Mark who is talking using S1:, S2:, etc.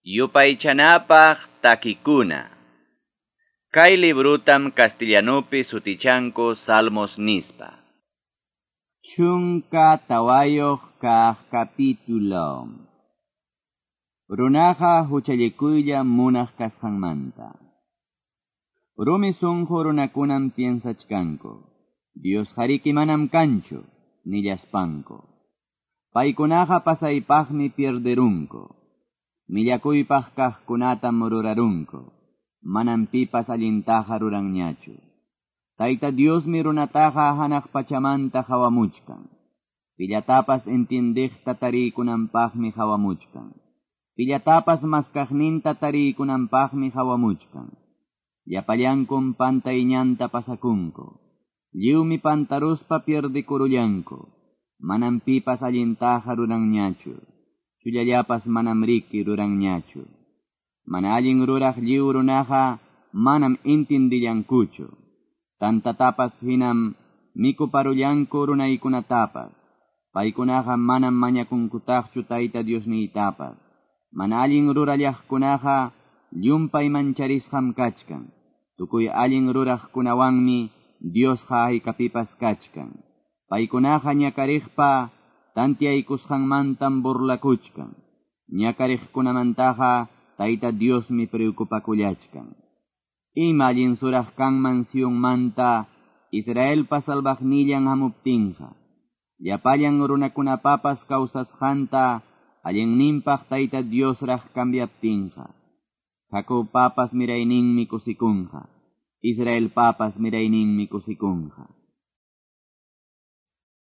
S1: Yupaychanapaq takikuna. Kay librutam castellanupi sutichanku Salmos nispa. 14 kaq capítulo. Runaqa huchallikuylla munaq kasqanmanta. Rumi sunqu runakunam piensachkanku. Dios hariki manam kanchu, nillaspanku. Paykunaqa pasaypaqmi pierderunku. Millakuypaq kaqkunatam rurarunku. Manam pipas allintaqa ruranñachu. Tayta Diosmi runataqa hanaq pachamanta hawamuchkan. Pillatapas entiendiqta tariykunanpaqmi hawamuchkan. Pillatapas maskaqninta tariykunanpaqmi hawamuchkan. Llapallankum pantayñanta pasakunku. Lliwmi pantaruspa pierdikurullanku. Manam pipas allintaqa ruranñachu. Chullallapas manam riki ruranñachu. Mana allin ruraq lliw runaqa manam intindillankuchu. Tantatapas hinam mikuparullanku runaykunatapas. Paykunaqa manam mañakunkutaqchu Tayta Diosniytapas. Mana allin rurallaqkunaqa llumpay mancharisqam kachkan. Tukuy allin ruraqkunawanmi Diosqa haykapipas kachkan. Paykunaqa ñakariqpa tantiaykusqanmantam burlakuchkan. Ñakariqkunamantaqa Tayta Diosmi preocupakullachkan. Ima allin suraq kanman Sionmanta Israelpa salvaqnillan hamuptinqa. Llapallan runakunapapas kawsasqanta allinninpaq Tayta Diosraq cambiaptinqa. Jacobpapas mirayninmi kusikunqa. Israelpapas mirayninmi kusikunqa.